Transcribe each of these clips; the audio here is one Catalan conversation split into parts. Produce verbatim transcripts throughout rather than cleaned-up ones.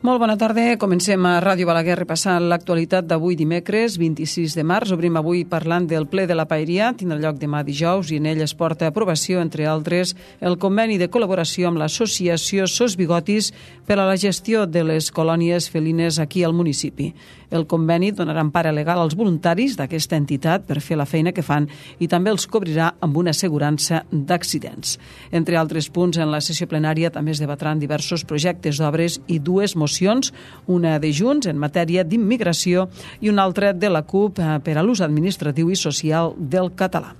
Molt bona tarda. Comencem a Ràdio Balaguer repassant l'actualitat d'avui dimecres, vint-i-sis de març. Obrim avui parlant del ple de la Paeria. Tindrà lloc demà dijous i en ell es porta a aprovació, entre altres, el conveni de col·laboració amb l'associació Sos Bigotis per a la gestió de les colònies felines aquí al municipi. El conveni donarà empara legal als voluntaris d'aquesta entitat per fer la feina que fan i també els cobrirà amb una assegurança d'accidents. Entre altres punts, en la sessió plenària també es debatran diversos projectes d'obres i dues mocions, una de Junts en matèria d'immigració i una altra de la CUP per a l'ús administratiu i social del català.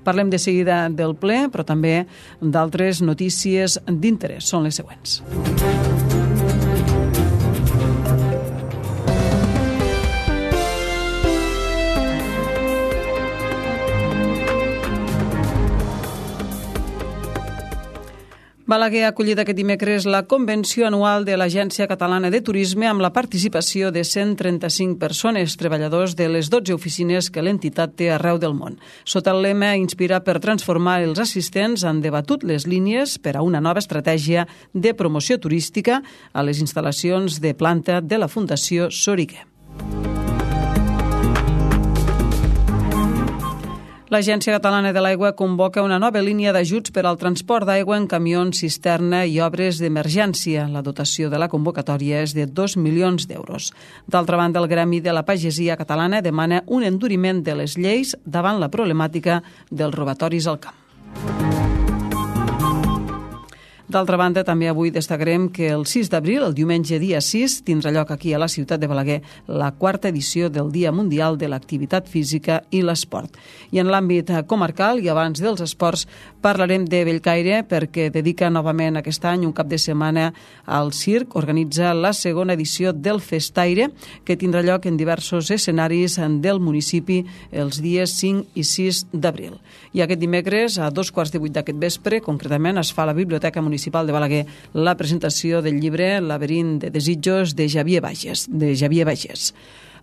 Parlem de seguida del ple, però també d'altres notícies d'interès. Són les següents. Balaguer ha acollit aquest dimecres la convenció anual de l'Agència Catalana de Turisme amb la participació de cent trenta-cinc persones, treballadors de les dotze oficines que l'entitat té arreu del món. Sota el lema Inspirar per transformar, els assistents han debatut les línies per a una nova estratègia de promoció turística a les instal·lacions de planta de la Fundació Soriguer. L'Agència Catalana de l'Aigua convoca una nova línia d'ajuts per al transport d'aigua en camions, cisterna i obres d'emergència. La dotació de la convocatòria és de dos milions d'euros. D'altra banda, el Gremi de la Pagesia Catalana demana un enduriment de les lleis davant la problemàtica dels robatoris al camp. D'altra banda, també avui destacarem que el sis d'abril, el diumenge dia sis, tindrà lloc aquí a la ciutat de Balaguer la quarta edició del Dia Mundial de l'Activitat Física i l'Esport. I en l'àmbit comarcal i abans dels esports parlarem de Bellcaire perquè dedica novament aquest any un cap de setmana al circ. Organitza la segona edició del Festaire que tindrà lloc en diversos escenaris del municipi els dies cinc i sis d'abril. I aquest dimecres, a dos quarts de vuit d'aquest vespre, concretament, es fa a la Biblioteca Municipal Municipal de Balaguer la presentació del llibre Laberint de desitjos de Xavier Bages. De Xavier Bages.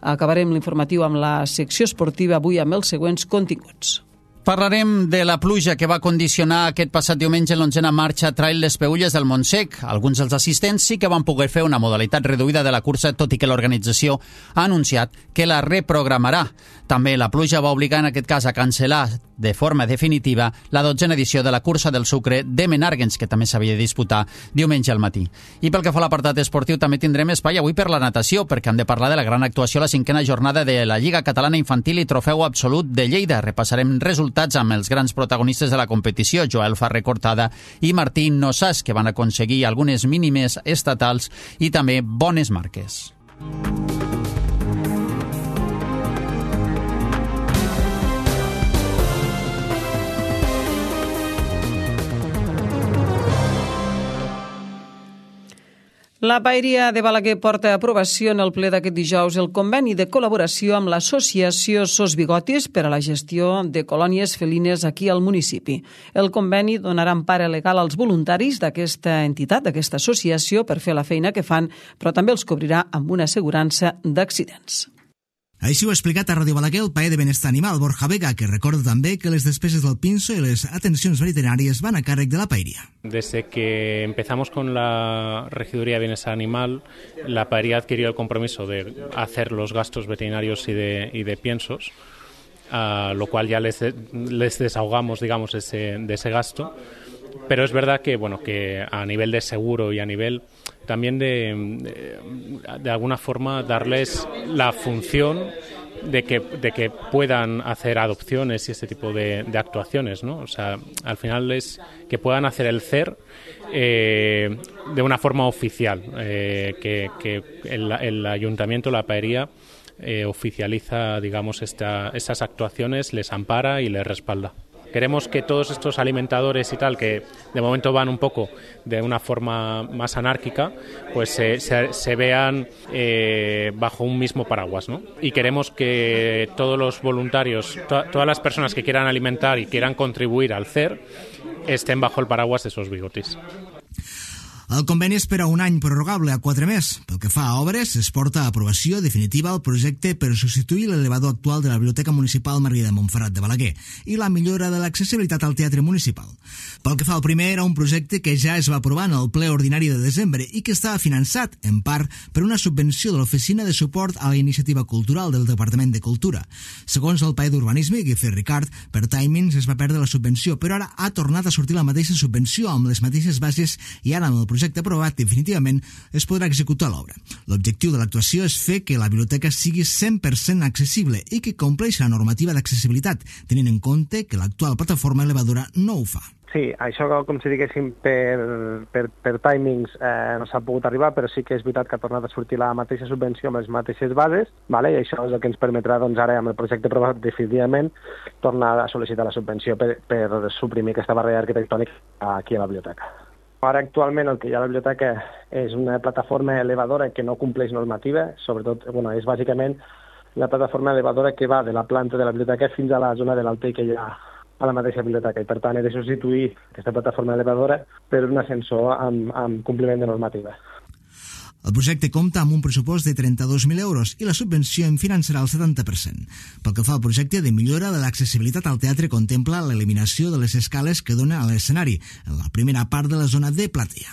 Acabarem l'informatiu amb la secció esportiva avui amb els següents continguts. Parlarem de la pluja que va condicionar aquest passat diumenge l'onzena marxa Trail Les Peülles del Montsec. Alguns dels assistents sí que van poder fer una modalitat reduïda de la cursa, tot i que l'organització ha anunciat que la reprogramarà. També la pluja va obligar en aquest cas a cancel·lar de forma definitiva la dotzena edició de la cursa del sucre de Menàrguens, que també s'havia de disputar diumenge al matí. I pel que fa a l'apartat esportiu també tindrem espai avui per la natació, perquè hem de parlar de la gran actuació a la cinquena jornada de la Lliga Catalana Infantil i Trofeu Absolut de Lleida. Repassarem resultats amb els grans protagonistes de la competició, Joel Ferrer Cortada i Martí Nossàs, que van aconseguir algunes mínimes estatals i també bones marques. La Paeria de Balaguer porta a aprovació en el ple d'aquest dijous el conveni de col·laboració amb l'associació Sos Bigotis per a la gestió de colònies felines aquí al municipi. El conveni donarà empara legal als voluntaris d'aquesta entitat, d'aquesta associació, per fer la feina que fan, però també els cobrirà amb una assegurança d'accidents. Així ho ha explicat a Ràdio Balaguer el paer de Benestar Animal, Borja Vega, que recorda també que les despeses del pinso y les atenciones veterinarias van a càrrec de la Paeria. Desde que empezamos con la Regiduría de Bienestar Animal, la Paeria adquirió el compromiso de hacer los gastos veterinarios y de, y de piensos, a lo cual ya les, les desahogamos, digamos, ese, de ese gasto. Pero es verdad que, bueno, que a nivel de seguro y a nivel también de, de, de alguna forma darles la función de que, de que puedan hacer adopciones y este tipo de, de actuaciones, ¿no? O sea, al final es que puedan hacer el C E R eh, de una forma oficial, eh, que, que el, el ayuntamiento, la Paeria, eh, oficializa, digamos, esta, estas actuaciones, les ampara y les respalda. Queremos que todos estos alimentadores y tal, que de momento van un poco de una forma más anárquica, pues se, se, se vean eh, bajo un mismo paraguas, ¿no? Y queremos que todos los voluntarios, to- todas las personas que quieran alimentar y quieran contribuir al C E R, estén bajo el paraguas de Sos Bigotis. El conveni és per a un any prorrogable a quatre més. Pel que fa a obres, es porta a aprovació definitiva el projecte per substituir l'elevador actual de la Biblioteca Municipal Maria de Montferrat de Balaguer i la millora de l'accessibilitat al Teatre Municipal. Pel que fa al primer, era un projecte que ja es va aprovar en el ple ordinari de desembre i que estava finançat, en part, per una subvenció de l'Oficina de Suport a la Iniciativa Cultural del Departament de Cultura. Segons el paer d'Urbanisme, Guifré Ricard, per timings es va perdre la subvenció, però ara ha tornat a sortir la mateixa subvenció amb les mateixes bases i ara amb el projecte aprovat definitivament es podrà executar l'obra. L'objectiu de l'actuació és fer que la biblioteca sigui cent per cent accessible i que compleixi la normativa d'accessibilitat, tenint en compte que l'actual plataforma elevadora no ho fa. Sí, això, com si diguéssim, per, per, per timings eh, no s'ha pogut arribar, però sí que és veritat que ha tornat a sortir la mateixa subvenció amb les mateixes bases, vale? I això és el que ens permetrà, doncs, ara amb el projecte aprovat definitivament, tornar a sol·licitar la subvenció per, per suprimir aquesta barrera arquitectònica aquí a la biblioteca. Ara, actualment, el que hi ha a la biblioteca és una plataforma elevadora que no compleix normativa, sobretot, bueno, és bàsicament la plataforma elevadora que va de la planta de la biblioteca fins a la zona de l'alter que hi ha a la mateixa biblioteca, i per tant he de substituir aquesta plataforma elevadora per un ascensor amb, amb compliment de normativa. El projecte compta amb un pressupost de trenta-dos mil euros i la subvenció en finançarà el setanta per cent. Pel que fa al projecte de millora de l'accessibilitat al teatre, contempla l'eliminació de les escales que dona a l'escenari, en la primera part de la zona de platea.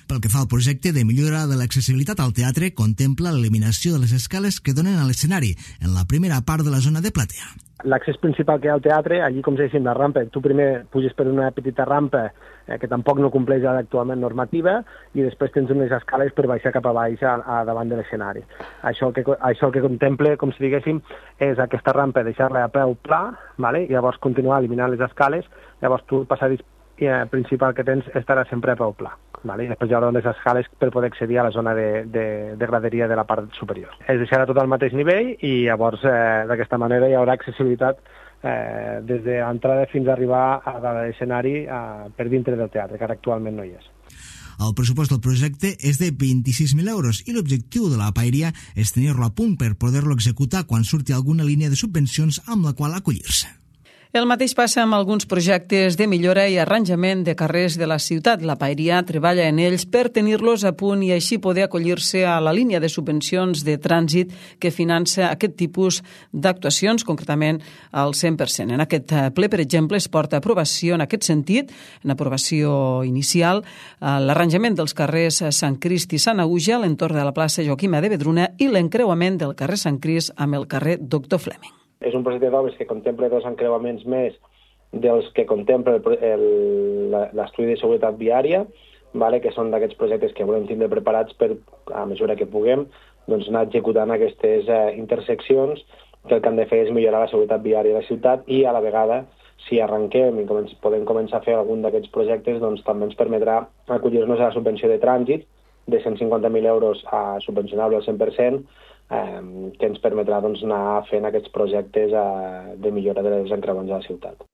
Pel que fa al projecte de millora de l'accessibilitat al teatre, contempla l'eliminació de les escales que donen a l'escenari, en la primera part de la zona de platea. L'accés principal que hi ha al teatre, allí com si diguéssim la rampa, tu primer puges per una petita rampa eh, que tampoc no compleix actualment normativa i després tens unes escales per baixar cap a baix a, a davant de l'escenari. Això el que, això el que contemple, com si diguéssim, és aquesta rampa deixar-la a peu pla, vale? I llavors continuar eliminant les escales, llavors tu el passadís eh, principal que tens estarà sempre a peu pla. Vale? I després hi haurà les escales per poder accedir a la zona de, de, de graderia de la part superior. Es deixarà tot al mateix nivell i llavors eh, d'aquesta manera hi haurà accessibilitat eh, des de l'entrada fins a arribar a l'escenari eh, per dintre del teatre, que ara actualment no hi és. El pressupost del projecte és de vint-i-sis mil euros i l'objectiu de la paeria és tenir-lo a punt per poder-lo executar quan surti alguna línia de subvencions amb la qual acollir-se. El mateix passa amb alguns projectes de millora i arranjament de carrers de la ciutat. La paeria treballa en ells per tenir-los a punt i així poder acollir-se a la línia de subvencions de trànsit que finança aquest tipus d'actuacions, concretament al cent per cent. En aquest ple, per exemple, es porta a aprovació en aquest sentit, en aprovació inicial, l'arranjament dels carrers Sant Crist i Sant Auja a l'entorn de la plaça Joaquima de Vedruna i l'encreuament del carrer Sant Crist amb el carrer Doctor Fleming. És un projecte d'obres que contempla dos encreuaments més dels que contempla l'estudi de seguretat viària, vale? Que són d'aquests projectes que volem tindre preparats per, a mesura que puguem, doncs anar executant aquestes eh, interseccions que el que han de fer és millorar la seguretat viària de la ciutat i a la vegada, si arrenquem i començ, podem començar a fer algun d'aquests projectes, doncs també ens permetrà acollir-nos a la subvenció de trànsit de cent cinquanta mil euros a subvencionable al cent per cent, Eh, que ens permetrà doncs, anar fent aquests projectes eh, de millora de les encreuaments de la ciutat.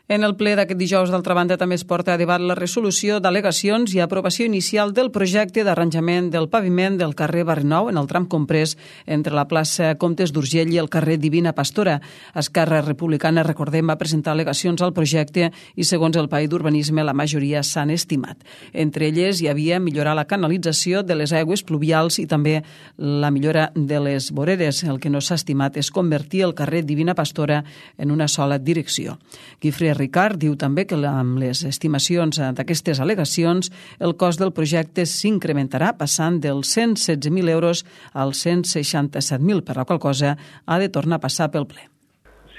En el ple d'aquest dijous, d'altra banda, també es porta a debat la resolució d'al·legacions i aprovació inicial del projecte d'arranjament del paviment del carrer Barrinou en el tram comprès entre la plaça Comtes d'Urgell i el carrer Divina Pastora. Esquerra Republicana, recordem, va presentar al·legacions al projecte i, segons el paer d'Urbanisme, la majoria s'han estimat. Entre elles hi havia millorar la canalització de les aigües pluvials i també la millora de les voreres. El que no s'ha estimat és convertir el carrer Divina Pastora en una sola direcció. Guifré Ricard diu també que amb les estimacions d'aquestes al·legacions el cost del projecte s'incrementarà passant dels cent setze mil euros als cent seixanta-set mil, per la qual cosa ha de tornar a passar pel ple.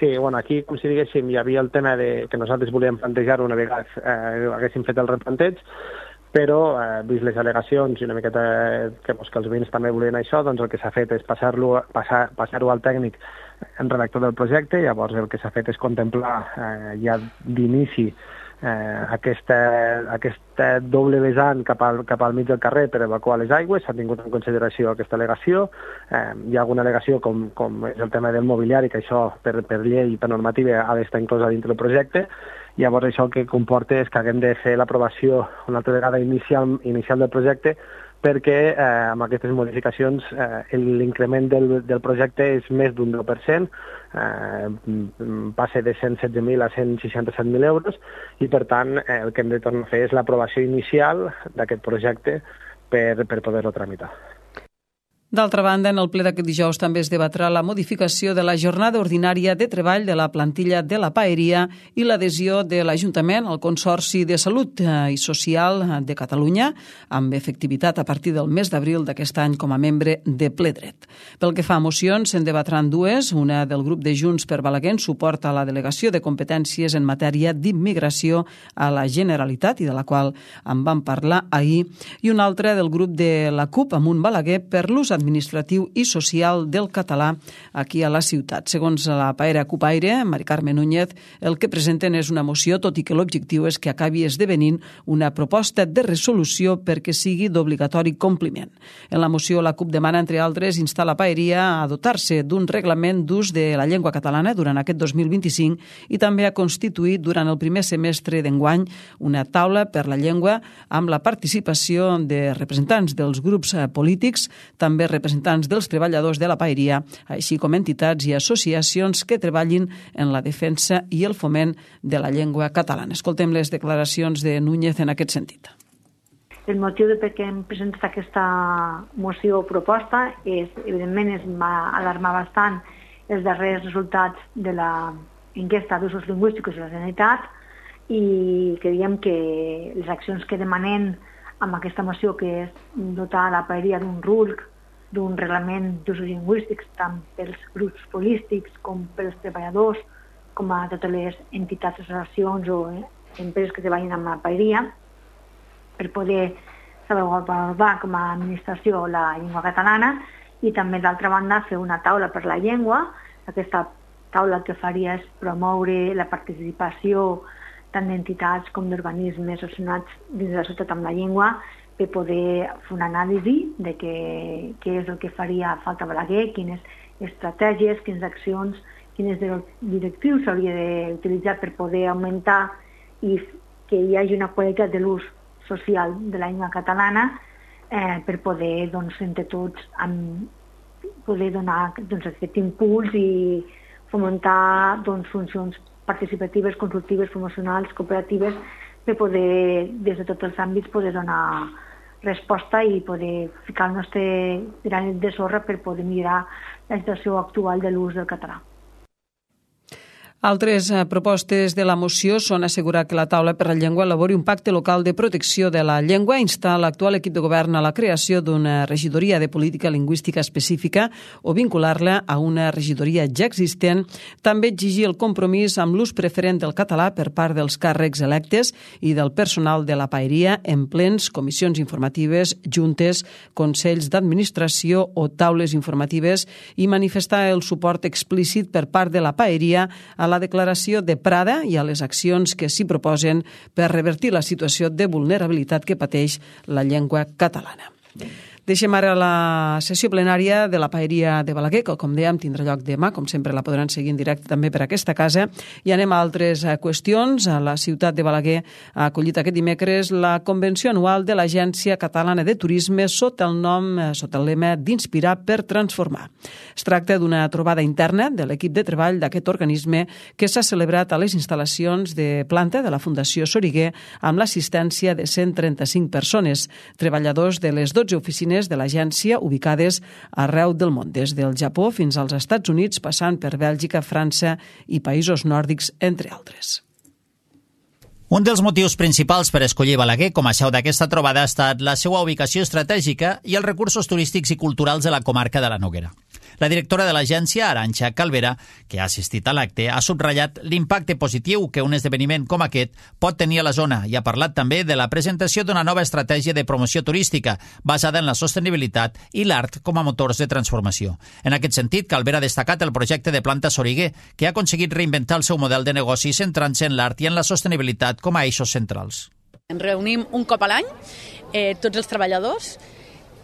Sí, bueno, aquí, com si diguéssim, hi havia el tema de que nosaltres volíem plantejar una vegada eh, haguéssim fet el replanteig, però, eh, vist les al·legacions i una miqueta que, doncs, que els veïns també volien això, doncs el que s'ha fet és passar-lo passar, passar-ho al tècnic en redactor del projecte. Llavors el que s'ha fet és contemplar eh, ja d'inici eh, aquesta, aquesta doble vessant cap al, cap al mig del carrer per evacuar les aigües. S'ha tingut en consideració aquesta al·legació. Eh, hi ha alguna al·legació com, com és el tema del mobiliari, que això per, per llei i per normativa ha d'estar inclosa dintre del projecte. Llavors això el que comporta és que haguem de fer l'aprovació una altra vegada inicial, inicial del projecte, perquè eh, amb aquestes modificacions eh, l'increment del, del projecte és més d'un deu per cent, eh, passa de cent setze mil a cent seixanta-set mil euros, i per tant eh, el que hem de tornar a fer és l'aprovació inicial d'aquest projecte per, per poder-lo tramitar. D'altra banda, en el ple d'aquest dijous també es debatrà la modificació de la jornada ordinària de treball de la plantilla de la Paeria i l'adhesió de l'Ajuntament al Consorci de Salut i Social de Catalunya, amb efectivitat a partir del mes d'abril d'aquest any com a membre de ple dret. Pel que fa a mocions, se'n debatran dues, una del grup de Junts per Balaguer en suport a la delegació de competències en matèria d'immigració a la Generalitat, i de la qual en vam parlar ahir, i una altra del grup de la CUP Amunt Balaguer per l'ús administratiu i social del català aquí a la ciutat. Segons la Paera Cupaire, Mari Carme Núñez, el que presenten és una moció, tot i que l'objectiu és que acabi esdevenint una proposta de resolució perquè sigui d'obligatori compliment. En la moció, la CUP demana, entre altres, instar la Paeria a dotar-se d'un reglament d'ús de la llengua catalana durant aquest dos mil vint-i-cinc i també a constituir durant el primer semestre d'enguany una taula per la llengua amb la participació de representants dels grups polítics, també representants dels treballadors de la Paeria, així com entitats i associacions que treballin en la defensa i el foment de la llengua catalana. Escoltem les declaracions de Núñez en aquest sentit. El motiu de per què hem presentat aquesta moció o proposta és, evidentment, es va alarmar bastant els darrers resultats de l'enquesta d'usos lingüístics de la Generalitat i creiem que les accions que demanem amb aquesta moció, que és dotar la Paeria d'un R U L C, d'un reglament d'usos lingüístics tant pels grups polítics com pels treballadors, com a totes les entitats, associacions o empreses que treballin amb la Paeria, per poder salvaguardar com a administració la llengua catalana i també, d'altra banda, fer una taula per la llengua. Aquesta taula el que faria és promoure la participació tant d'entitats com d'organismes relacionats dins de la societat amb la llengua, per poder fer una anàlisi de què, què és el que faria falta a Balaguer, quines estratègies, quines accions, quins directius s'hauria d'utilitzar per poder augmentar i que hi hagi una qualitat de l'ús social de la llengua catalana eh, per poder, doncs, entre tots, amb, poder donar doncs, aquest impuls i fomentar doncs, funcions participatives, consultives, promocionals, cooperatives, per poder, des de tots els àmbits, poder donar resposta i poder ficar el nostre granet de sorra per poder millorar la situació actual de l'ús del català. Altres propostes de la moció són assegurar que la Taula per la Llengua elabori un pacte local de protecció de la llengua, instar l'actual equip de govern a la creació d'una regidoria de política lingüística específica o vincular-la a una regidoria ja existent, també exigir el compromís amb l'ús preferent del català per part dels càrrecs electes i del personal de la Paeria en plens, comissions informatives, juntes, consells d'administració o taules informatives i manifestar el suport explícit per part de la Paeria a la declaració de Prada i a les accions que s'hi proposen per revertir la situació de vulnerabilitat que pateix la llengua catalana. Deixem ara la sessió plenària de la Paeria de Balaguer, que, com dèiem, tindrà lloc demà. Com sempre, la podran seguir en directe també per aquesta casa. I anem a altres qüestions. La ciutat de Balaguer ha acollit aquest dimecres la convenció anual de l'Agència Catalana de Turisme sota el nom, sota el lema d'Inspirar per Transformar. Es tracta d'una trobada interna de l'equip de treball d'aquest organisme que s'ha celebrat a les instal·lacions de planta de la Fundació Soriguer amb l'assistència de cent trenta-cinc persones, treballadors de les dotze oficines de l'agència ubicades arreu del món, des del Japó fins als Estats Units, passant per Bèlgica, França i països nòrdics, entre altres. Un dels motius principals per escollir Balaguer com a seu d'aquesta trobada ha estat la seva ubicació estratègica i els recursos turístics i culturals de la comarca de la Noguera. La directora de l'agència, Arantxa Calvera, que ha assistit a l'acte, ha subratllat l'impacte positiu que un esdeveniment com aquest pot tenir a la zona i ha parlat també de la presentació d'una nova estratègia de promoció turística basada en la sostenibilitat i l'art com a motors de transformació. En aquest sentit, Calvera ha destacat el projecte de Planta Soriguer, que ha aconseguit reinventar el seu model de negoci centrant-se en l'art i en la sostenibilitat com a eixos centrals. Ens reunim un cop a l'any, eh, tots els treballadors,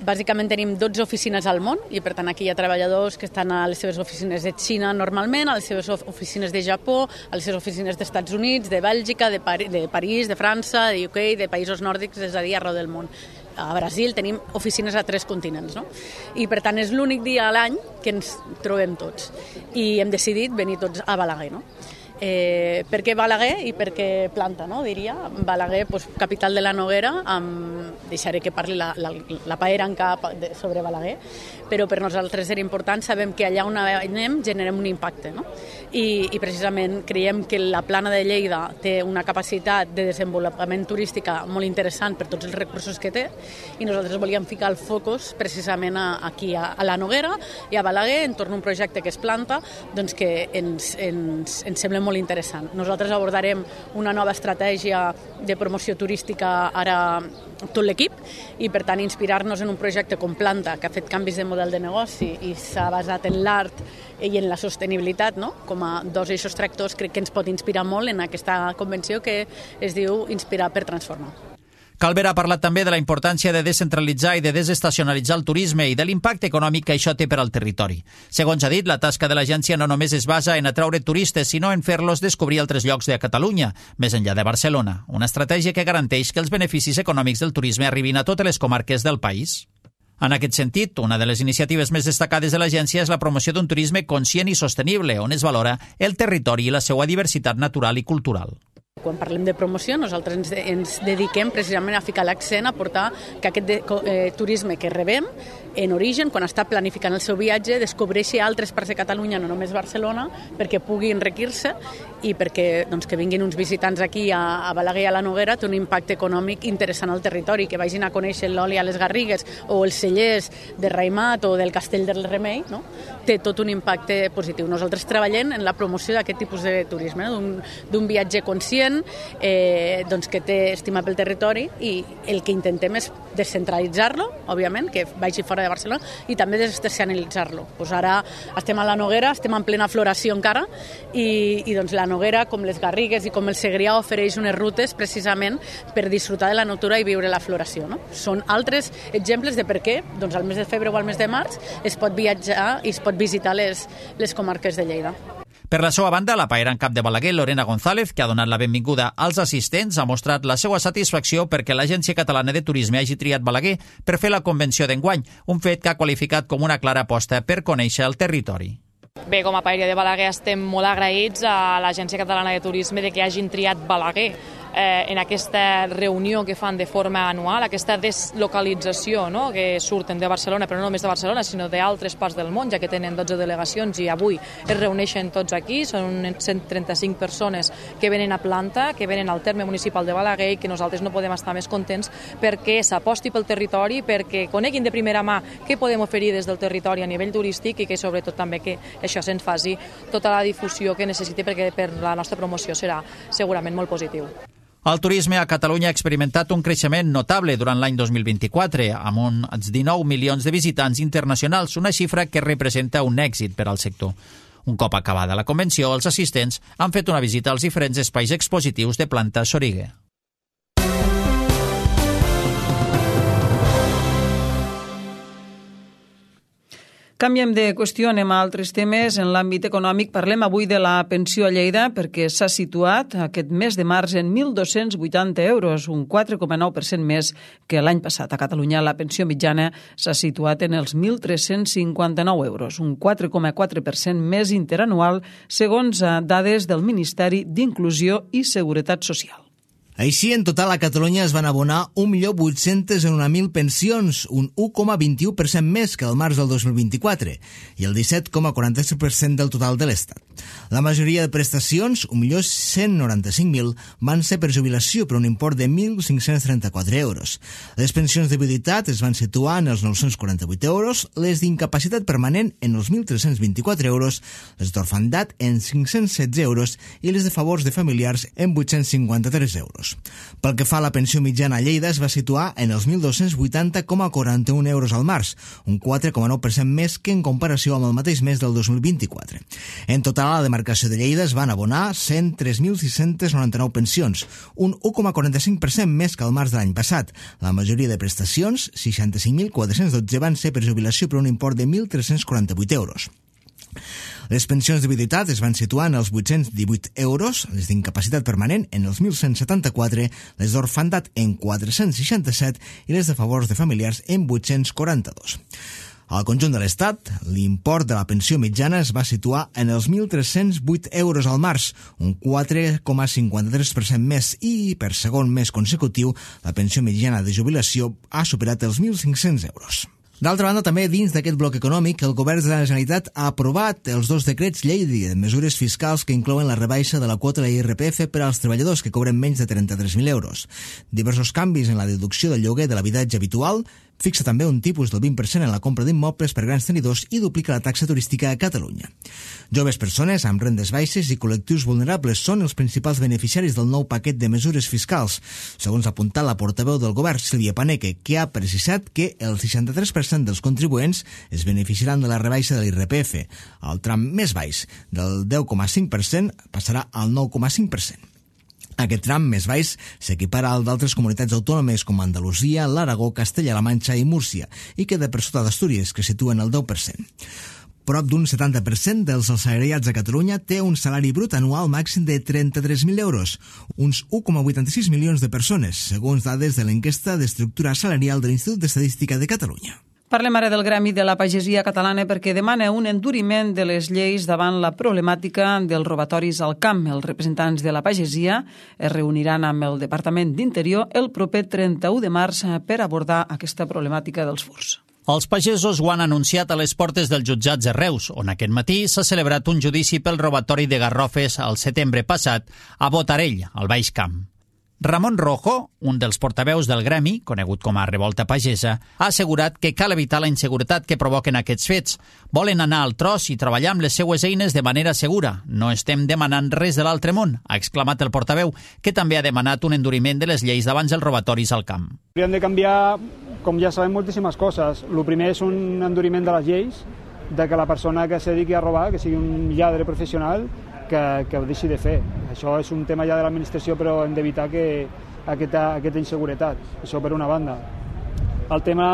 bàsicament tenim dotze oficines al món i per tant aquí hi ha treballadors que estan a les seves oficines de Xina normalment, a les seves oficines de Japó, a les seves oficines dels Estats Units, de Bèlgica, de, Pari- de París, de França, de U K, de països nòrdics, és a dir, arreu del món. A Brasil tenim oficines a tres continents, no? I per tant és l'únic dia a l'any que ens trobem tots i hem decidit venir tots a Balaguer, no? Eh, per què Balaguer i per què Planta, no? Diria. Balaguer, pues, capital de la Noguera, amb... deixaré que parli la, la, la paera en cap de, sobre Balaguer, però per nosaltres era important, sabem que allà on anem generem un impacte, no? I, i precisament creiem que la Plana de Lleida té una capacitat de desenvolupament turística molt interessant per tots els recursos que té i nosaltres volíem ficar el focus precisament a, aquí a, a la Noguera i a Balaguer entorn d'un projecte que és Planta, doncs que ens, ens, ens sembla molt interessant. Nosaltres abordarem una nova estratègia de promoció turística ara tot l'equip i per tant inspirar-nos en un projecte com Planta que ha fet canvis de model de negoci i s'ha basat en l'art i en la sostenibilitat, no? Com a dos eixos tractors, crec que ens pot inspirar molt en aquesta convenció que es diu Inspirar per transformar. Calver ha parlat també de la importància de descentralitzar i de desestacionalitzar el turisme i de l'impacte econòmic que això té per al territori. Segons ha dit, la tasca de l'agència no només es basa en atraure turistes, sinó en fer-los descobrir altres llocs de Catalunya, més enllà de Barcelona. Una estratègia que garanteix que els beneficis econòmics del turisme arribin a totes les comarques del país. En aquest sentit, una de les iniciatives més destacades de l'agència és la promoció d'un turisme conscient i sostenible, on es valora el territori i la seva diversitat natural i cultural. Quan parlem de promoció, nosaltres ens, ens dediquem precisament a ficar l'accent, a portar que aquest de, eh, turisme que rebem, en origen, quan està planificant el seu viatge, descobreixi altres parts de Catalunya, no només Barcelona, perquè pugui enriquir-se i perquè doncs, que vinguin uns visitants aquí a, a Balaguer i a la Noguera té un impacte econòmic interessant al territori, que vagin a conèixer l'oli a les Garrigues o els cellers de Raimat o del Castell del Remei, no? Té tot un impacte positiu. Nosaltres treballem en la promoció d'aquest tipus de turisme, no? d'un, d'un viatge conscient, eh, doncs que té estima pel territori i el que intentem és descentralitzar-lo, òbviament, que vagi fora de Barcelona i també desestacionalitzar-lo. Pues ara estem a la Noguera, estem en plena floració encara i, i doncs la Noguera, com les Garrigues i com el Segrià, ofereix unes rutes precisament per disfrutar de la natura i viure la floració. No? Són altres exemples de per què doncs, al mes de febrer o al mes de març es pot viatjar i es pot visitar les, les comarques de Lleida. Per la seva banda, la paera en cap de Balaguer, Lorena González, que ha donat la benvinguda als assistents, ha mostrat la seva satisfacció perquè l'Agència Catalana de Turisme hagi triat Balaguer per fer la convenció d'enguany, un fet que ha qualificat com una clara aposta per conèixer el territori. Bé, com a paeria de Balaguer estem molt agraïts a l'Agència Catalana de Turisme de que hagin triat Balaguer eh, en aquesta reunió que fan de forma anual, aquesta deslocalització, no?, que surten de Barcelona, però no només de Barcelona, sinó d'altres parts del món, ja que tenen dotze delegacions i avui es reuneixen tots aquí, són cent trenta-cinc persones que venen a Planta, que venen al terme municipal de Balaguer i que nosaltres no podem estar més contents perquè s'aposti pel territori, perquè coneguin de primera mà què podem oferir des del territori a nivell turístic i que sobretot també que això se'ns faci tota la difusió que necessiti perquè per la nostra promoció serà segurament molt positiu. El turisme a Catalunya ha experimentat un creixement notable durant l'any dos mil vint-i-quatre, amb uns dinou milions de visitants internacionals, una xifra que representa un èxit per al sector. Un cop acabada la convenció, els assistents han fet una visita als diferents espais expositius de Planta Soriguer. Canviem de qüestió, anem a altres temes. En l'àmbit econòmic parlem avui de la pensió a Lleida perquè s'ha situat aquest mes de març en mil dos-cents vuitanta euros, un quatre coma nou per cent més que l'any passat. A Catalunya la pensió mitjana s'ha situat en els mil tres-cents cinquanta-nou euros, un quatre coma quatre per cent més interanual segons dades del Ministeri d'Inclusió i Seguretat Social. Així, en total, a Catalunya es van abonar un milió vuit-cents un mil pensions, un u coma vint-i-u per cent més que el març del dos mil vint-i-quatre, i el disset coma quaranta-set per cent del total de l'Estat. La majoria de prestacions, un milió cent noranta-cinc mil, van ser per jubilació per un import de mil cinc-cents trenta-quatre euros. Les pensions de viuditat es van situar en els nou-cents quaranta-vuit euros, les d'incapacitat permanent en els mil tres-cents vint-i-quatre euros, les d'orfandat en cinc-cents setze euros i les de favors de familiars en vuit-cents cinquanta-tres euros. Pel que fa a la pensió mitjana a Lleida, es va situar en els mil dos-cents vuitanta coma quaranta-un euros al març, un quatre coma nou per cent més que en comparació amb el mateix mes del dos mil vint-i-quatre. En total, a la demarcació de Lleida es van abonar cent tres mil sis-cents noranta-nou pensions, un u coma quaranta-cinc per cent més que el març de l'any passat. La majoria de prestacions, seixanta-cinc mil quatre-cents dotze, van ser per jubilació per un import de mil tres-cents quaranta-vuit euros. Les pensions de viduïtat es van situar en els vuit-cents divuit euros, les d'incapacitat permanent en els mil cent setanta-quatre, les d'orfandat en quatre-cents seixanta-set i les de favors de familiars en vuit-cents quaranta-dos. Al conjunt de l'Estat, l'import de la pensió mitjana es va situar en els mil tres-cents vuit euros al març, un quatre coma cinquanta-tres per cent més, i per segon mes consecutiu la pensió mitjana de jubilació ha superat els mil cinc-cents euros. D'altra banda, també dins d'aquest bloc econòmic, el govern de la Generalitat ha aprovat els dos decrets llei de mesures fiscals que inclouen la rebaixa de la quota de l'I R P F per als treballadors que cobren menys de trenta-tres mil euros. Diversos canvis en la deducció del lloguer de l'habitatge habitual, fixa també un tipus del vint per cent en la compra d'immobles per grans tenidors i duplica la taxa turística a Catalunya. Joves persones amb rendes baixes i col·lectius vulnerables són els principals beneficiaris del nou paquet de mesures fiscals, segons ha apuntat la portaveu del govern, Sílvia Paneque, que ha precisat que el seixanta-tres per cent dels contribuents es beneficiaran de la rebaixa de l'I R P F. El tram més baix, del deu coma cinc per cent, passarà al nou coma cinc per cent. Aquest tram més baix s'equipara al d'altres comunitats autònomes com Andalusia, l'Aragó, Castella-La Manxa i Múrcia, i queda per sota d'Astúries, que situen el deu per cent. Prop d'un setanta per cent dels assalariats a Catalunya té un salari brut anual màxim de trenta-tres mil euros, uns u coma vuitanta-sis milions de persones, segons dades de l'enquesta d'estructura salarial de l'Institut d'Estadística de Catalunya. Parlem ara del Gremi de la Pagesia Catalana perquè demana un enduriment de les lleis davant la problemàtica dels robatoris al camp. Els representants de la pagesia es reuniran amb el Departament d'Interior el proper trenta-u de març per abordar aquesta problemàtica dels furts. Els pagesos ho han anunciat a les portes dels jutjats de Reus, on aquest matí s'ha celebrat un judici pel robatori de garrofes al setembre passat a Botarell, al Baix Camp. Ramon Rojo, un dels portaveus del gremi, conegut com a Revolta Pagesa, ha assegurat que cal evitar la inseguretat que provoquen aquests fets. Volen anar al tros i treballar amb les seues eines de manera segura. No estem demanant res de l'altre món, ha exclamat el portaveu, que també ha demanat un enduriment de les lleis davant els robatoris al camp. Hauríem de canviar, com ja sabem, moltíssimes coses. El primer és un enduriment de les lleis, de que la persona que se dediqui a robar, que sigui un lladre professional, que, que ho deixi de fer. Això és un tema ja de l'administració, però hem d'evitar que aquesta, aquesta inseguretat. Això per una banda. El tema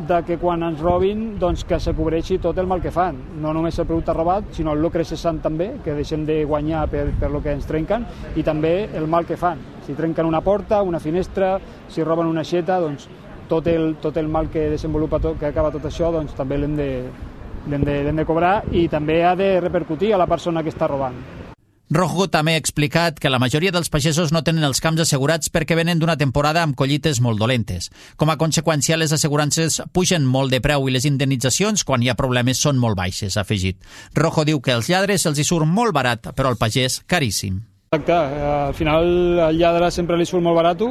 de que quan ens robin, doncs que se cobreixi tot el mal que fan. No només el producte robat, sinó el lucre cessant també, que deixem de guanyar per, per lo que ens trenquen, i també el mal que fan. Si trenquen una porta, una finestra, si roben una aixeta, doncs tot el, tot el mal que desenvolupa, tot, que acaba tot això, doncs també l'hem de, l'hem de, l'hem de cobrar, i també ha de repercutir a la persona que està robant. Rojo també ha explicat que la majoria dels pagesos no tenen els camps assegurats perquè venen d'una temporada amb collites molt dolentes. Com a conseqüència, les assegurances pugen molt de preu i les indemnitzacions, quan hi ha problemes, són molt baixes, ha afegit. Rojo diu que als lladres els hi surt molt barat, però al pagès caríssim. Exacte, al final al lladre sempre li surt molt barat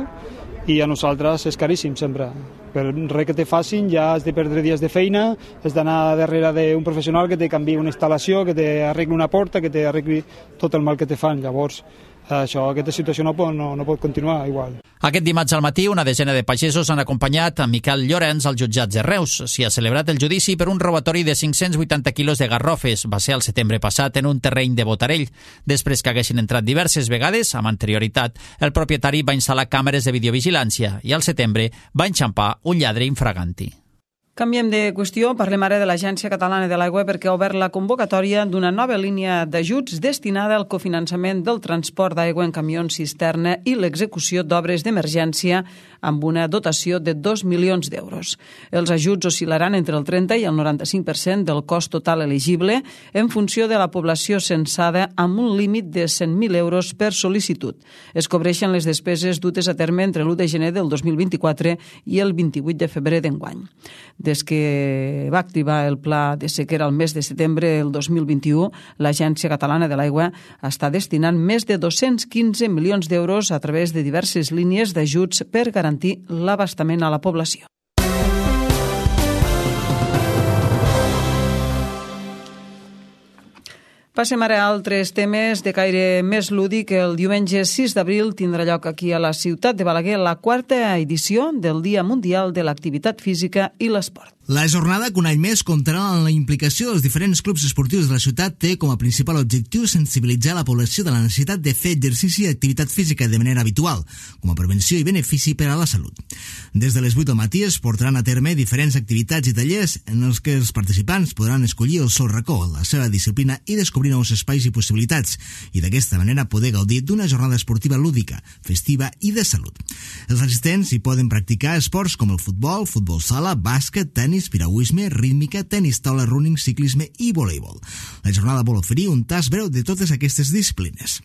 i a nosaltres és caríssim sempre. Per res que te facin ja has de perdre dies de feina, has d'anar darrere d'un professional que te canviï una instal·lació, que te arregli una porta, que te arregli tot el mal que te fan. Llavors, això, aquesta situació no pot, no, no pot continuar igual. Aquest dimarts al matí, una desena de pagesos han acompanyat a Miquel Llorenç als jutjats de Reus. S'hi ha celebrat el judici per un robatori de cinc-cents vuitanta quilos de garrofes. Va ser el setembre passat en un terreny de Botarell. Després que haguessin entrat diverses vegades, amb anterioritat, el propietari va instal·lar càmeres de videovigilància i al setembre va enxampar un lladre infraganti. Canviem de qüestió, parlem ara de l'Agència Catalana de l'Aigua perquè ha obert la convocatòria d'una nova línia d'ajuts destinada al cofinançament del transport d'aigua en camions cisterna i l'execució d'obres d'emergència amb una dotació de dos milions d'euros. Els ajuts oscil·laran entre el trenta i el noranta-cinc per cent del cost total elegible en funció de la població censada amb un límit de cent mil euros per sol·licitud. Es cobreixen les despeses dutes a terme entre l'u de gener del dos mil vint-i-quatre i el vint-i-vuit de febrer d'enguany. Des que va activar el pla de sequera el mes de setembre del dos mil vint-i-u, l'Agència Catalana de l'Aigua està destinant més de dos-cents quinze milions d'euros a través de diverses línies d'ajuts per garantir l'abastament a la població. Passem ara a altres temes de caire més lúdic. El diumenge sis d'abril tindrà lloc aquí a la ciutat de Balaguer la quarta edició del Dia Mundial de l'Activitat Física i l'Esport. La jornada, que un any més comptarà amb la implicació dels diferents clubs esportius de la ciutat, té com a principal objectiu sensibilitzar la població de la necessitat de fer exercici i activitat física de manera habitual, com a prevenció i benefici per a la salut. Des de les vuit del matí es portaran a terme diferents activitats i tallers en els que els participants podran escollir el seu racó, la seva disciplina i descobrir nous espais i possibilitats, i d'aquesta manera poder gaudir d'una jornada esportiva lúdica, festiva i de salut. Els assistents hi poden practicar esports com el futbol, futbol sala, bàsquet, tenis, piragüisme, rítmica, tenis taula, running, ciclisme i voleibol. La jornada vol oferir un tast breu de totes aquestes disciplines.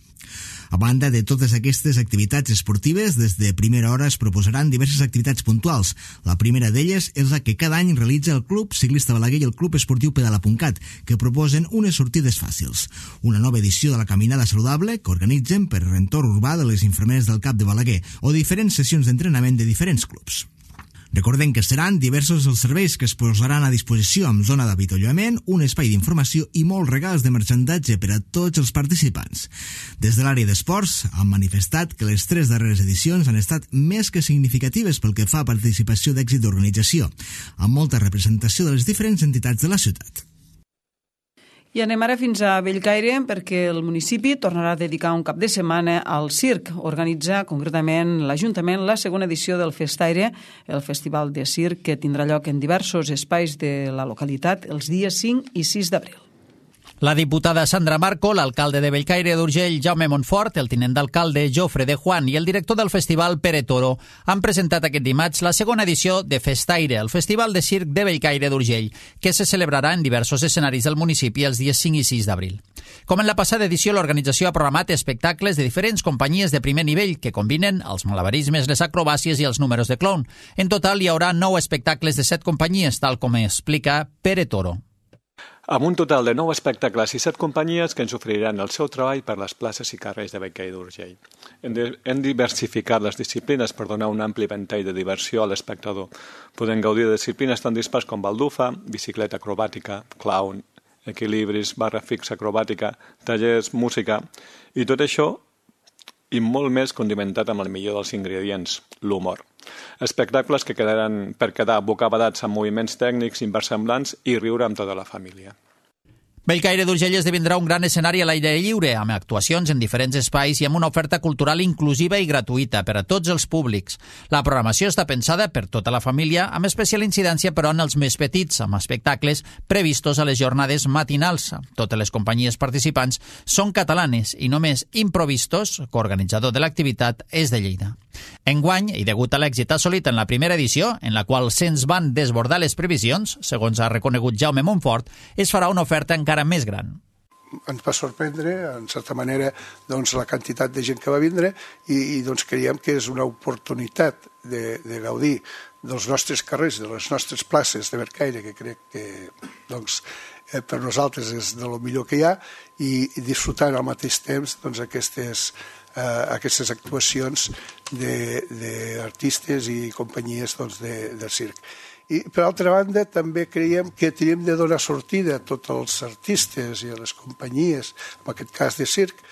A banda de totes aquestes activitats esportives, des de primera hora es proposaran diverses activitats puntuals. La primera d'elles és la que cada any realitza el Club Ciclista Balaguer i el Club Esportiu Pedala.cat, que proposen unes sortides fàcils. Una nova edició de la Caminada Saludable que organitzen per l'entorn urbà de les infermeres del Cap de Balaguer o diferents sessions d'entrenament de diferents clubs. Recordem que seran diversos els serveis que es posaran a disposició amb zona d'avituallament, un espai d'informació i molts regals de marxandatge per a tots els participants. Des de l'àrea d'esports han manifestat que les tres darreres edicions han estat més que significatives pel que fa a participació d'èxit d'organització, amb molta representació de les diferents entitats de la ciutat. I anem ara fins a Bellcaire perquè el municipi tornarà a dedicar un cap de setmana al circ. Organitza concretament l'Ajuntament la segona edició del Festaire, el festival de circ que tindrà lloc en diversos espais de la localitat els dies cinc i sis d'abril. La diputada Sandra Marco, l'alcalde de Bellcaire d'Urgell, Jaume Montfort, el tinent d'alcalde Jofre de Juan i el director del festival Pere Toro han presentat aquest dimarts la segona edició de Festaire, el festival de circ de Bellcaire d'Urgell, que se celebrarà en diversos escenaris del municipi els dies cinc i sis d'abril. Com en la passada edició, l'organització ha programat espectacles de diferents companyies de primer nivell que combinen els malabarismes, les acrobàcies i els números de clown. En total hi haurà nou espectacles de set companyies, tal com explica Pere Toro. Amb un total de nou espectacles i set companyies que ens oferiran el seu treball per les places i carrers de Bellcaire d'Urgell. Hem diversificat les disciplines per donar un ampli ventall de diversió a l'espectador. Podem gaudir de disciplines tan dispars com baldufa, bicicleta acrobàtica, clown, equilibris, barra fixa acrobàtica, tallers, música, i tot això i molt més condimentat amb el millor dels ingredients, l'humor. Espectacles que quedaran per quedar bocabadats amb moviments tècnics inversemblants i riure amb tota la família. Bellcaire d'Urgell esdevindrà un gran escenari a l'aire lliure, amb actuacions en diferents espais i amb una oferta cultural inclusiva i gratuïta per a tots els públics. La programació està pensada per tota la família, amb especial incidència però en els més petits, amb espectacles previstos a les jornades matinals. Totes les companyies participants són catalanes i només Improvistos, coorganitzador de l'activitat, és de Lleida. Enguany, i degut a l'èxit assolit en la primera edició, en la qual se'ns van desbordar les previsions, segons ha reconegut Jaume Montfort, es farà una oferta encara més gran. Ens va sorprendre, en certa manera, doncs, la quantitat de gent que va vindre i, i doncs, creiem que és una oportunitat de, de gaudir dels nostres carrers, de les nostres places de Bellcaire, que crec que doncs, eh, per nosaltres és de lo millor que hi ha, i, i disfrutar al mateix temps doncs, aquestes, eh, aquestes actuacions d'artistes i companyies doncs, de, de circ. I, per altra banda, també creiem que tenim de donar sortida a tots els artistes i a les companyies, en aquest cas de circ.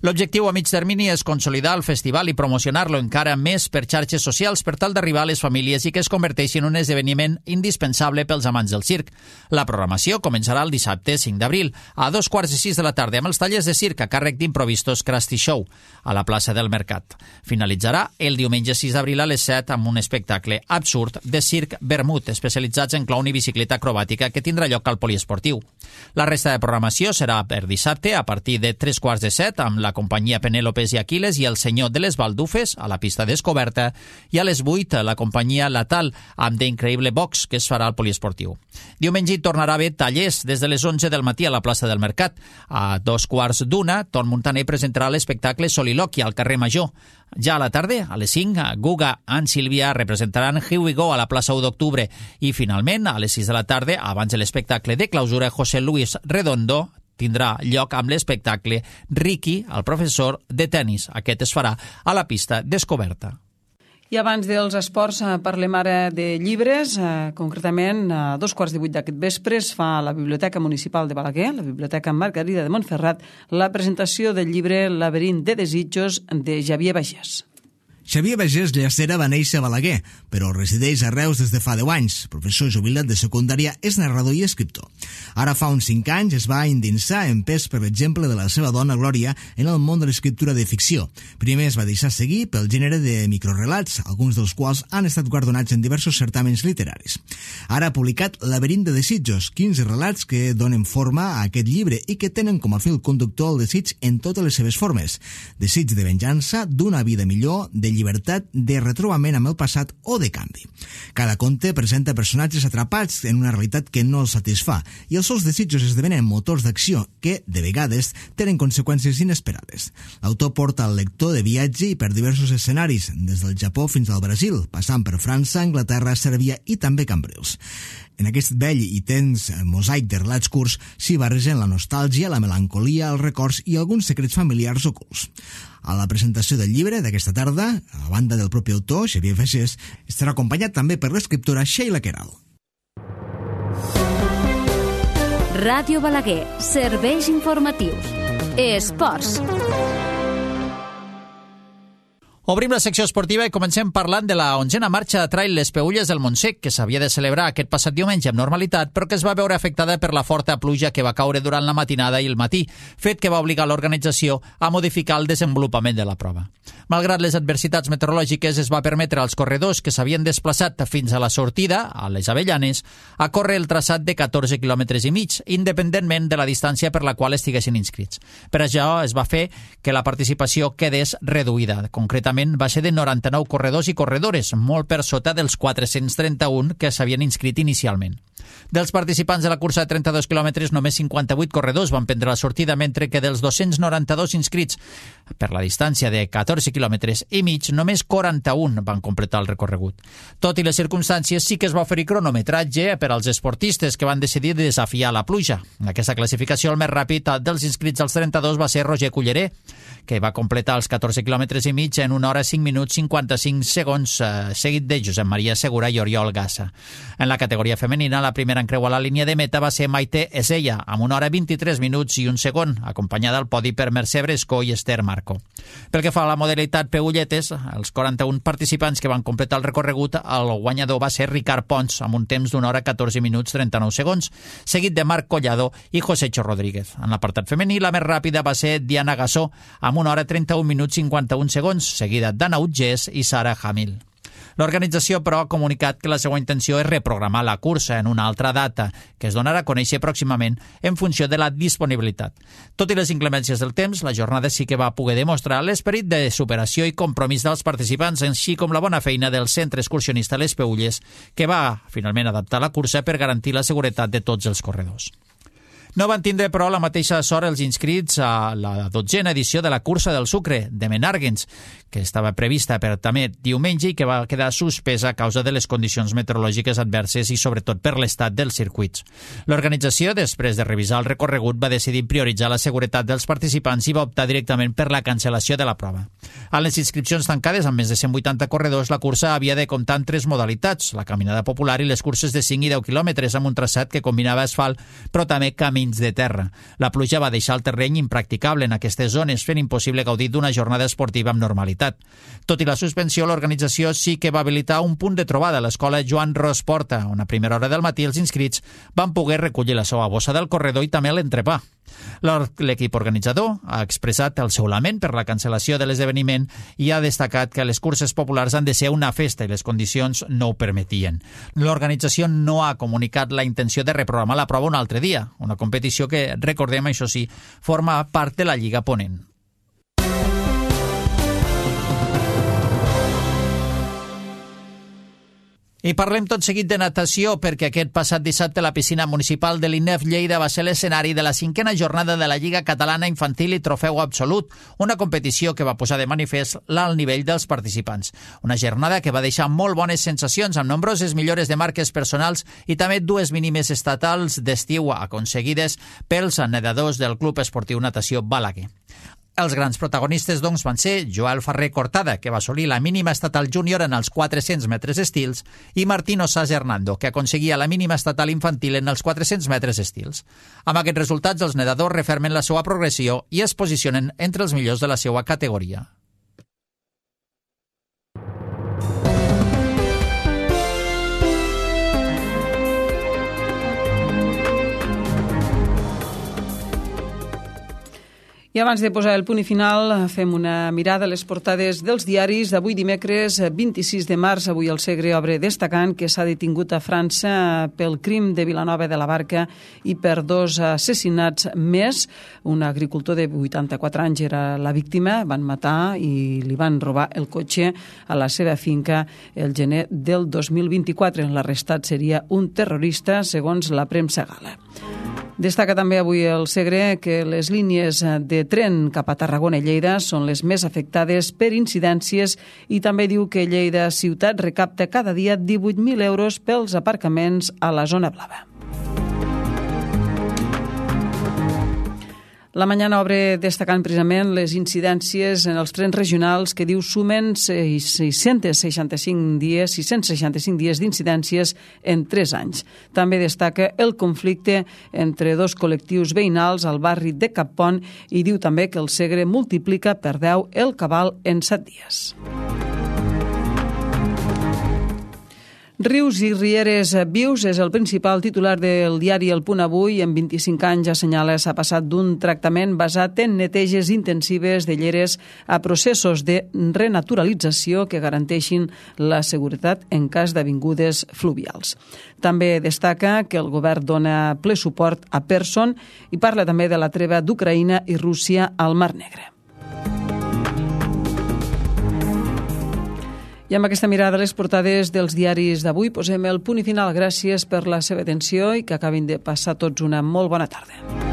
L'objectiu a mig termini és consolidar el festival i promocionar-lo encara més per xarxes socials per tal d'arribar a les famílies i que es converteixi en un esdeveniment indispensable pels amants del circ. La programació començarà el dissabte cinc d'abril a dos quarts i sis de la tarda amb els tallers de circ a càrrec d'Improvistos Krusty Show a la plaça del Mercat. Finalitzarà el diumenge sis d'abril a les set amb un espectacle absurd de circ vermut especialitzats en clown i bicicleta acrobàtica que tindrà lloc al poliesportiu. La resta de programació serà per dissabte a partir de tres quarts de set amb la companyia Penélopes i Aquiles i el Senyor de les Baldufes a la pista descoberta i a les vuit la companyia Latal amb The Increïble Box que es farà al poliesportiu. Diumenge tornarà a haver tallers des de les onze del matí a la plaça del Mercat. A dos quarts d'una, Ton Montaner presentarà l'espectacle Soliloquia al carrer Major. Ja a la tarda, a les cinc, Guga and Sílvia representaran Here We Go a la plaça u d'octubre i finalment, a les sis de la tarda, abans de l'espectacle de clausura, José Luis Redondo tindrà lloc amb l'espectacle Ricky, el professor de tennis. Aquest es farà a la pista descoberta. I abans dels esports parlem ara de llibres. Concretament, a dos quarts de vuit d'aquest vespre es fa a la Biblioteca Municipal de Balaguer, la Biblioteca Margarida de Montferrat, la presentació del llibre Laberint de desitjos de Xavier Bagés. Xavier Bagés Llacera va néixer a Balaguer, però resideix a Reus des de fa deu anys. Professor jubilat de secundària, és narrador i escriptor. Ara fa uns cinc anys es va endinsar, empès per l'exemple de la seva dona Glòria, en el món de l'escriptura de ficció. Primer es va deixar seguir pel gènere de microrelats, alguns dels quals han estat guardonats en diversos certàmens literaris. Ara ha publicat Laberint de desitjos, quinze relats que donen forma a aquest llibre i que tenen com a fil conductor el desig en totes les seves formes. Desig de venjança, d'una vida millor, de llibertat, de retrobament amb el passat o de canvi. Cada conte presenta personatges atrapats en una realitat que no els satisfà i els seus desitjos esdevenen motors d'acció que, de vegades, tenen conseqüències inesperades. L'autor porta el lector de viatge i per diversos escenaris, des del Japó fins al Brasil, passant per França, Anglaterra, Sèrbia i també Cambrils. En aquest vell i tens mosaic de relats curts s'hi barregen la nostàlgia, la melancolia, els records i alguns secrets familiars ocults. A la presentació del llibre d'aquesta tarda, a banda del propi autor, Xavier Bagés, estarà acompanyat també per l'escriptora Sheila Queralt. Ràdio Balaguer, serveis informatius. Esports. Obrim la secció esportiva i comencem parlant de la onzena marxa de trail Les Peülles del Montsec, que s'havia de celebrar aquest passat diumenge amb normalitat, però que es va veure afectada per la forta pluja que va caure durant la matinada i el matí, fet que va obligar l'organització a modificar el desenvolupament de la prova. Malgrat les adversitats meteorològiques, es va permetre als corredors que s'havien desplaçat fins a la sortida, a les Avellanes, a córrer el traçat de catorze quilòmetres i mig, independentment de la distància per la qual estiguessin inscrits. Per això es va fer que la participació quedés reduïda. Concretament, va ser de noranta-nou corredors i corredores, molt per sota dels quatre-cents trenta-un que s'havien inscrit inicialment. Dels participants de la cursa de trenta-dos quilòmetres, només cinquanta-vuit corredors van prendre la sortida, mentre que dels dos-cents noranta-dos inscrits per la distància de catorze quilòmetres i mig, només quaranta-un van completar el recorregut. Tot i les circumstàncies, sí que es va oferir cronometratge per als esportistes que van decidir desafiar la pluja. En aquesta classificació, el més ràpid dels inscrits als trenta-dos va ser Roger Culleré, que va completar els catorze quilòmetres i mig en una hora cinc minuts cinquanta-cinc segons, eh, seguit de Josep Maria Segura i Oriol Gassa. En la categoria femenina, la primera en creuar la línia de meta va ser Maite Esella, amb una hora vint-i-tres minuts i un segon, acompanyada al podi per Mercè Brescó i Esther Marco. Pel que fa a la modalitat Peülletes, els quaranta-un participants que van completar el recorregut, el guanyador va ser Ricard Pons, amb un temps d'una hora catorze minuts trenta-nou segons, seguit de Marc Collado i Josecho Rodríguez. En l'apartat femení, la més ràpida va ser Diana Gassó, amb una hora trenta-un minuts cinquanta-un segons, seguida d'Anna Utgés i Sara Hamil. L'organització, però, ha comunicat que la seva intenció és reprogramar la cursa en una altra data, que es donarà a conèixer pròximament en funció de la disponibilitat. Tot i les inclemències del temps, la jornada sí que va poder demostrar l'esperit de superació i compromís dels participants, així com la bona feina del centre excursionista Les Peülles, que va finalment adaptar la cursa per garantir la seguretat de tots els corredors. No van tindre, però, la mateixa sort els inscrits a la dotzena edició de la Cursa del Sucre de Menàrguens, que estava prevista per també diumenge i que va quedar suspesa a causa de les condicions meteorològiques adverses i sobretot per l'estat dels circuits. L'organització, després de revisar el recorregut, va decidir prioritzar la seguretat dels participants i va optar directament per la cancel·lació de la prova. A les inscripcions tancades amb més de cent vuitanta corredors, la cursa havia de comptar en tres modalitats, la caminada popular i les curses de cinc i deu quilòmetres amb un traçat que combinava asfalt, però també camí de terra. La pluja va deixar el terreny impracticable en aquestes zones, fent impossible gaudir d'una jornada esportiva amb normalitat. Tot i la suspensió, l'organització sí que va habilitar un punt de trobada a l'escola Joan Ros Porta, on a primera hora del matí els inscrits van poder recollir la seva bossa del corredor i també l'entrepà. L'equip organitzador ha expressat el seu lament per la cancel·lació de l'esdeveniment i ha destacat que les curses populars han de ser una festa i les condicions no ho permetien. L'organització no ha comunicat la intenció de reprogramar la prova un altre dia, una competició que, recordem, això sí, forma part de la Lliga Ponent. I parlem tot seguit de natació, perquè aquest passat dissabte la piscina municipal de l'I N E F Lleida va ser l'escenari de la cinquena jornada de la Lliga Catalana Infantil i Trofeu Absolut, una competició que va posar de manifest l'alt nivell dels participants. Una jornada que va deixar molt bones sensacions, amb nombroses millores de marques personals i també dues mínimes estatals d'estiu aconseguides pels nedadors del Club Esportiu Natació Balaguer. Els grans protagonistes, doncs, van ser Joel Ferrer Cortada, que va assolir la mínima estatal júnior en els quatre-cents metres estils, i Martín Osas Hernando, que aconseguia la mínima estatal infantil en els quatre-cents metres estils. Amb aquests resultats, els nedadors refermen la seva progressió i es posicionen entre els millors de la seva categoria. I abans de posar el punt i final, fem una mirada a les portades dels diaris d'avui dimecres vint-i-sis de març. Avui el Segre obre destacant que s'ha detingut a França pel crim de Vilanova de la Barca i per dos assassinats més. Un agricultor de vuitanta-quatre anys era la víctima, van matar i li van robar el cotxe a la seva finca el gener del dos mil vint-i-quatre. L'arrestat seria un terrorista, segons la premsa gala. Destaca també avui el Segre que les línies de tren cap a Tarragona i Lleida són les més afectades per incidències i també diu que Lleida ciutat recapta cada dia divuit mil euros pels aparcaments a la zona blava. La Mañana obre destacant precisament les incidències en els trens regionals que diu sumen sis-cents seixanta-cinc dies, sis-cents seixanta-cinc dies d'incidències en tres anys. També destaca el conflicte entre dos col·lectius veïnals al barri de Cappont i diu també que el Segre multiplica per deu el cabal en set dies. Rius i rieres vius és el principal titular del diari El Punt Avui. En vint-i-cinc anys, assenyala, s'ha passat d'un tractament basat en neteges intensives de lleres a processos de renaturalització que garanteixin la seguretat en cas d'avingudes fluvials. També destaca que el govern dona ple suport a Person i parla també de la treva d'Ucraïna i Rússia al Mar Negre. I amb aquesta mirada a les portades dels diaris d'avui posem el punt i final. Gràcies per la seva atenció i que acabin de passar tots una molt bona tarda.